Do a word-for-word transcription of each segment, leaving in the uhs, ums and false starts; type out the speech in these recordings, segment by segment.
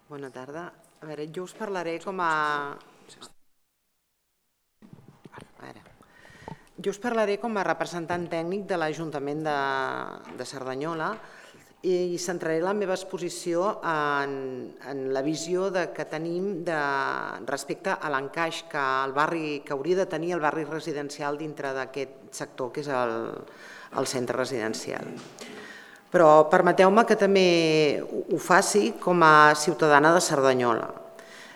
Bona tarda. A veure, jo us parlaré com a... Ara. Jo us parlaré com a representant tècnic de l'Ajuntament de, de Cerdanyola i centraré la meva exposició en, en la visió de, que tenim de, respecte a l'encaix que el barri que hauria de tenir el barri residencial dintre d'aquest sector, que és el, el centre residencial. Però permeteu-me que també ho faci com a ciutadana de Cerdanyola.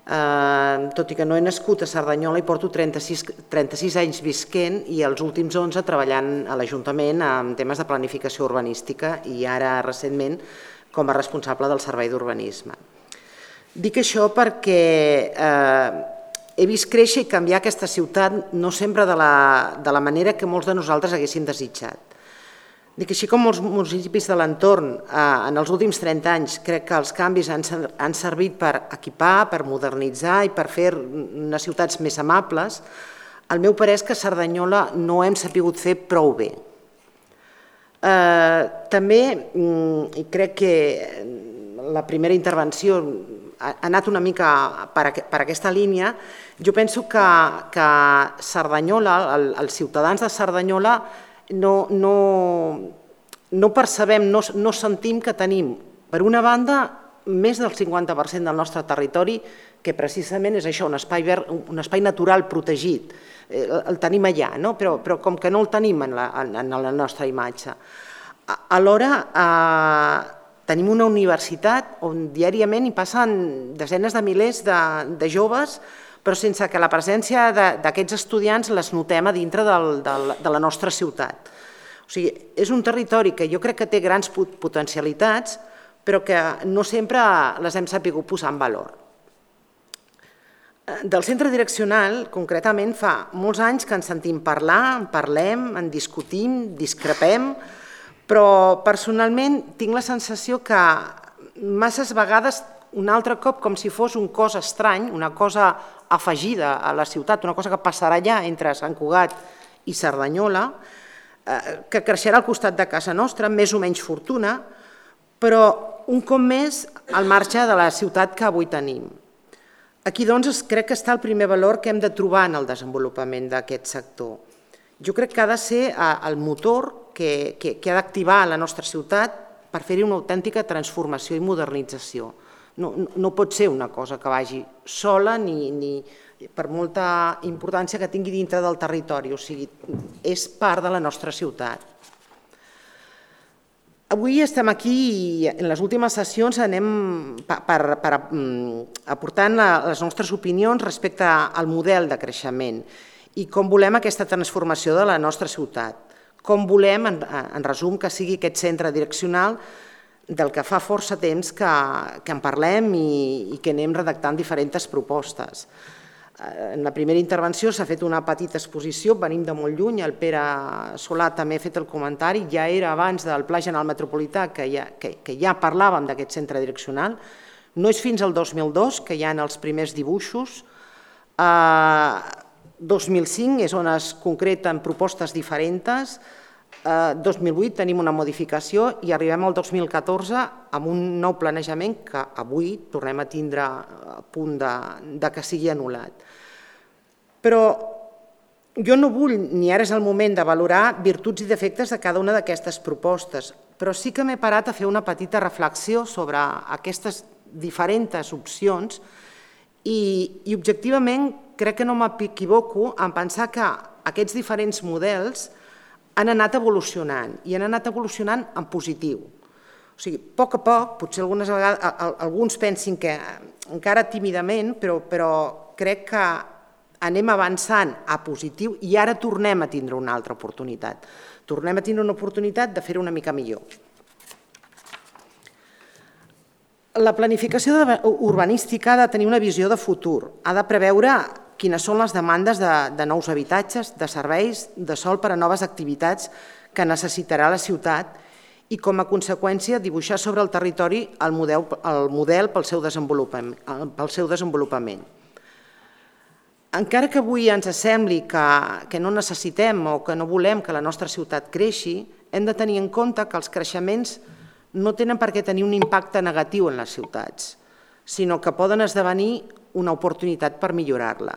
Eh, tot i que no he nascut a Cerdanyola i porto trenta-sis, trenta-sis anys visquent i els últims onze treballant a l'Ajuntament en temes de planificació urbanística i ara recentment com a responsable del Servei d'Urbanisme. Dic això perquè eh, he vist créixer i canviar aquesta ciutat no sempre de la, de la manera que molts de nosaltres haguéssim desitjat. Dic així com molts municipis de l'entorn en els últims trenta anys crec que els canvis han servit per equipar, per modernitzar i per fer unes ciutats més amables, el meu parer és que a Cerdanyola no hem sabut fer prou bé. També, i crec que la primera intervenció ha anat una mica per aquesta línia, jo penso que Cerdanyola, els ciutadans de Cerdanyola, No, no, no percebem, no, no sentim que tenim, per una banda, més del cinquanta per cent del nostre territori, que precisament és això, un espai, verd, un espai natural protegit. Eh, el tenim allà, no? però, però com que no el tenim en la, en la nostra imatge. Alhora, eh, tenim una universitat on diàriament hi passen desenes de milers de, de joves, però sense que la presència d'aquests estudiants les notem a dintre del, del, de la nostra ciutat. O sigui, és un territori que jo crec que té grans potencialitats, però que no sempre les hem sabut posar en valor. Del centre direccional, concretament, fa molts anys que ens sentim parlar, en parlem, en discutim, discrepem, però personalment tinc la sensació que masses vegades un altre cop com si fos un cos estrany, una cosa afegida a la ciutat, una cosa que passarà allà entre Sant Cugat i Cerdanyola, que creixerà al costat de casa nostra, més o menys fortuna, però un cop més al marge de la ciutat que avui tenim. Aquí doncs crec que està el primer valor que hem de trobar en el desenvolupament d'aquest sector. Jo crec que ha de ser el motor que, que, que ha d'activar la nostra ciutat per fer-hi una autèntica transformació i modernització. No, no pot ser una cosa que vagi sola ni, ni per molta importància que tingui dintre del territori, o sigui, és part de la nostra ciutat. Avui estem aquí i en les últimes sessions anem per, per, per aportant les nostres opinions respecte al model de creixement i com volem aquesta transformació de la nostra ciutat, com volem, en, en resum, que sigui aquest centre direccional del que fa força temps que, que en parlem i, i que anem redactant diferents propostes. En la primera intervenció s'ha fet una petita exposició, venim de molt lluny, el Pere Solà també ha fet el comentari, ja era abans del Pla General Metropolità que ja, que, que ja parlàvem d'aquest centre direccional, no és fins al dos mil dos que hi ha els primers dibuixos, eh, dos mil cinc és on es concreten propostes diferents, dos mil vuit tenim una modificació i arribem al dos mil catorze amb un nou planejament que avui tornem a tindre a punt de, de que sigui anul·lat. Però jo no vull, ni ara és el moment de valorar virtuts i defectes de cada una d'aquestes propostes, però sí que m'he parat a fer una petita reflexió sobre aquestes diferents opcions i, i objectivament crec que no m'equivoco en pensar que aquests diferents models han anat evolucionant i han anat evolucionant en positiu. O sigui, a poc a poc, potser algunes vegades, alguns pensin que encara tímidament, però, però crec que anem avançant a positiu i ara tornem a tindre una altra oportunitat. Tornem a tindre una oportunitat de fer-ho una mica millor. La planificació urbanística ha de tenir una visió de futur, ha de preveure quines són les demandes de, de nous habitatges, de serveis, de sòl per a noves activitats que necessitarà la ciutat i, com a conseqüència, dibuixar sobre el territori el model, el model pel seu desenvolupament. Pel seu desenvolupament. Encara que avui ens sembli que, que no necessitem o que no volem que la nostra ciutat creixi, hem de tenir en compte que els creixements no tenen per què tenir un impacte negatiu en les ciutats. sinó que poden esdevenir una oportunitat per millorar-la.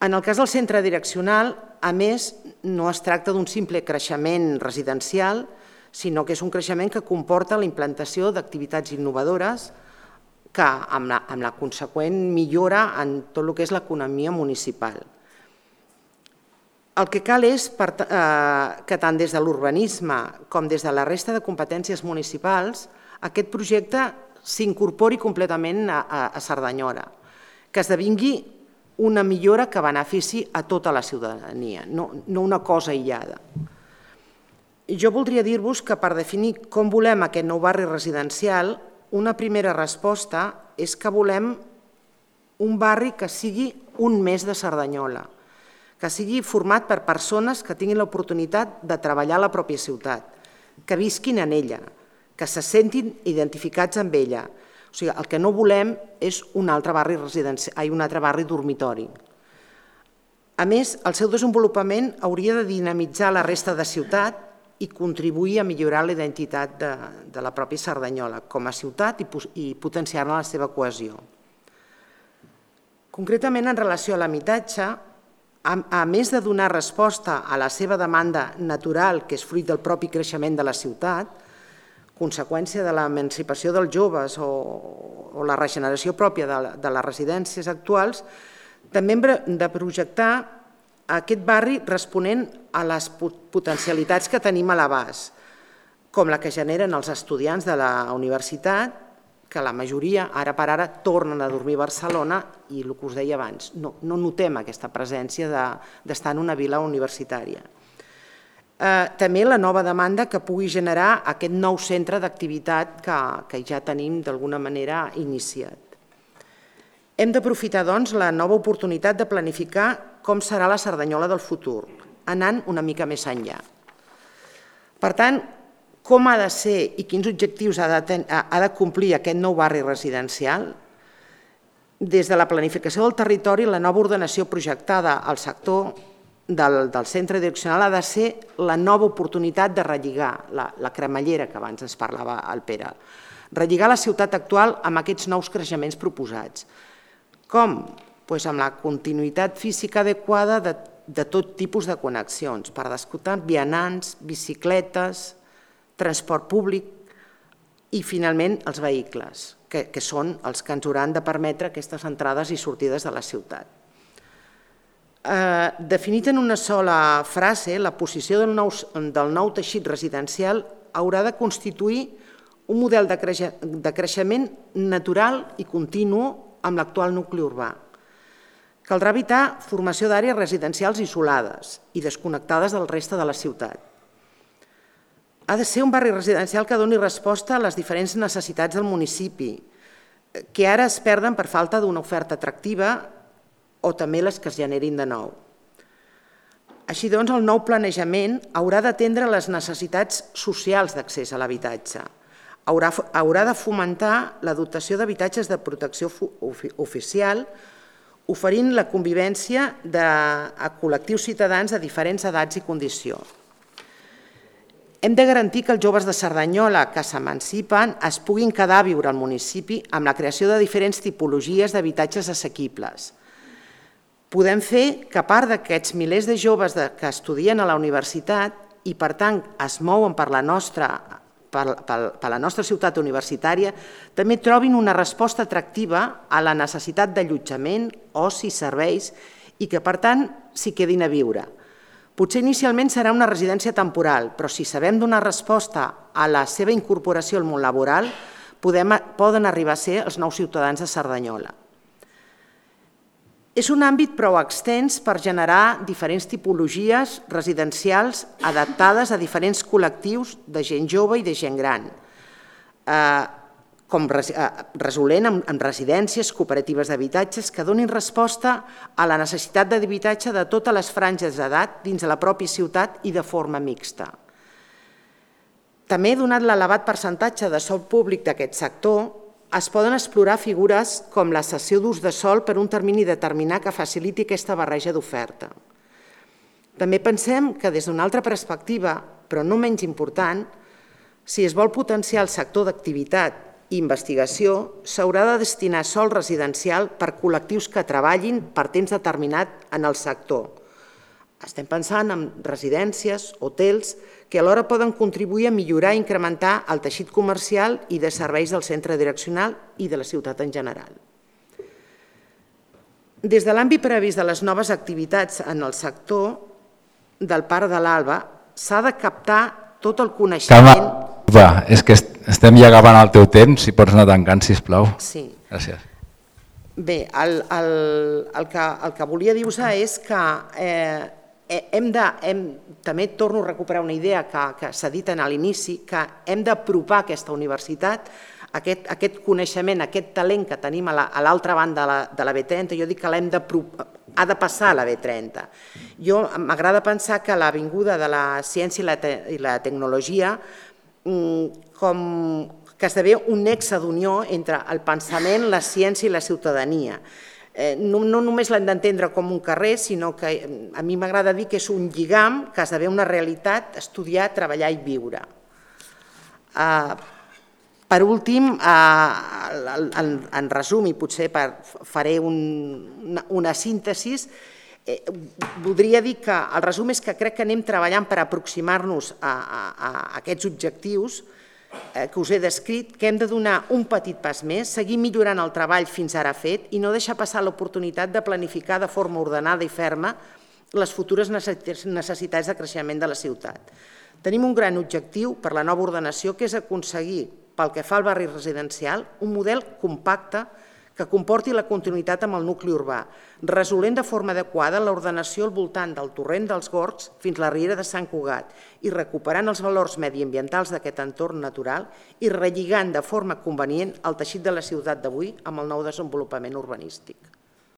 En el cas del centre direccional, a més, no es tracta d'un simple creixement residencial, sinó que és un creixement que comporta la implantació d'activitats innovadores que amb la, amb la conseqüent millora en tot el que és l'economia municipal. El que cal és que tant des de l'urbanisme com des de la resta de competències municipals aquest projecte s'incorpori completament a Cerdanyola, que esdevingui una millora que benefici a tota la ciutadania, no una cosa aïllada. Jo voldria dir-vos que per definir com volem aquest nou barri residencial, una primera resposta és que volem un barri que sigui un més de Cerdanyola, que sigui format per persones que tinguin l'oportunitat de treballar a la pròpia ciutat, que visquin en ella, que se sentin identificats amb ella. O sigui, el que no volem és un altre barri residencial, un altre barri dormitori. A més, el seu desenvolupament hauria de dinamitzar la resta de ciutat i contribuir a millorar la identitat de la pròpia Cerdanyola com a ciutat i potenciar-ne la seva cohesió. Concretament, en relació a l'habitatge, a més de donar resposta a la seva demanda natural, que és fruit del propi creixement de la ciutat, conseqüència de l'emancipació dels joves o la regeneració pròpia de les residències actuals, també hem de projectar aquest barri responent a les potencialitats que tenim a l'abast, com la que generen els estudiants de la universitat, que la majoria, ara per ara, tornen a dormir a Barcelona i el que us deia abans, no notem aquesta presència d'estar en una vila universitària. També la nova demanda que pugui generar aquest nou centre d'activitat que ja tenim d'alguna manera iniciat. Hem d'aprofitar, doncs, la nova oportunitat de planificar com serà la Cerdanyola del futur, anant una mica més enllà. Per tant, com ha de ser i quins objectius ha de complir aquest nou barri residencial? Des de la planificació del territori, la nova ordenació projectada al sector del centre direccional ha de ser la nova oportunitat de relligar, la cremallera que abans ens parlava el Pere, relligar la ciutat actual amb aquests nous creixements proposats. Com? Doncs amb la continuïtat física adequada de tot tipus de connexions, per descomptar vianants, bicicletes, transport públic i, finalment, els vehicles, que són els que ens hauran de permetre aquestes entrades i sortides de la ciutat. Definit en una sola frase, la posició del nou teixit residencial haurà de constituir un model de creixement natural i continu amb l'actual nucli urbà. Caldrà evitar formació d'àrees residencials isolades i desconnectades del reste de la ciutat. Ha de ser un barri residencial que doni resposta a les diferents necessitats del municipi, que ara es perden per falta d'una oferta atractiva o també les que es generin de nou. Així doncs, el nou planejament haurà d'atendre les necessitats socials d'accés a l'habitatge. Haurà de fomentar la dotació d'habitatges de protecció oficial, oferint la convivència a col·lectius ciutadans de diferents edats i condició. Hem de garantir que els joves de Cerdanyola que s'emancipen es puguin quedar a viure al municipi amb la creació de diferents tipologies d'habitatges assequibles. Podem fer que a part d'aquests milers de joves que estudien a la universitat i, per tant, es mouen per la nostra per la nostra ciutat universitària, també trobin una resposta atractiva a la necessitat d'allotjament, oci, serveis i que, per tant, s'hi quedin a viure. Potser inicialment serà una residència temporal, però si sabem donar resposta a la seva incorporació al món laboral, poden arribar a ser els nous ciutadans de Cerdanyola. És un àmbit prou extens per generar diferents tipologies residencials adaptades a diferents col·lectius de gent jove i de gent gran, com resolent en residències, cooperatives d'habitatges que donin resposta a la necessitat d'habitatge de totes les franges d'edat dins de la pròpia ciutat i de forma mixta. També, donat l'elevat percentatge de sòl públic d'aquest sector, es poden explorar figures com la cessió d'ús de sòl per un termini determinat que faciliti aquesta barreja d'oferta. També pensem que des d'una altra perspectiva, però no menys important, si es vol potenciar el sector d'activitat i investigació, s'haurà de destinar sòl residencial per col·lectius que treballin per temps determinat en el sector. Estem pensant en residències, hotels, que alhora poden contribuir a millorar i incrementar el teixit comercial i de serveis del centre direccional i de la ciutat en general. Des de l'àmbit previst de les noves activitats en el sector del Parc de l'Alba s'ha de captar tot el coneixement... Va, és que estem ja acabant el teu temps, si pots anar tancant, sisplau. Sí. Gràcies. Bé, el, el, el, que, el que volia dir-vos és que eh, hem de, hem, també torno a recuperar una idea que, que s'ha dit a l'inici, que hem d'apropar aquesta universitat, aquest, aquest coneixement, aquest talent que tenim a l'altra banda de la, de la B trenta, jo dic que l'hem d'apropar, ha de passar a la B trenta. Jo m'agrada pensar que l'avinguda de la ciència i la, te, i la tecnologia com que esdevé un nexe d'unió entre el pensament, la ciència i la ciutadania. No, no només l'hem d'entendre com un carrer, sinó que a mi m'agrada dir que és un lligam que esdevé una realitat, estudiar, treballar i viure. Per últim, en resum, i potser faré una síntesi, voldria dir que el resum és que crec que anem treballant per aproximar-nos a aquests objectius que us he descrit, que hem de donar un petit pas més, seguir millorant el treball fins ara fet i no deixar passar l'oportunitat de planificar de forma ordenada i ferma les futures necessitats de creixement de la ciutat. Tenim un gran objectiu per la nova ordenació, que és aconseguir, pel que fa al barri residencial, un model compacte que comporti la continuïtat amb el nucli urbà, resolent de forma adequada l'ordenació al voltant del torrent dels Gorgs fins a la riera de Sant Cugat i recuperant els valors mediambientals d'aquest entorn natural i relligant de forma convenient el teixit de la ciutat d'avui amb el nou desenvolupament urbanístic.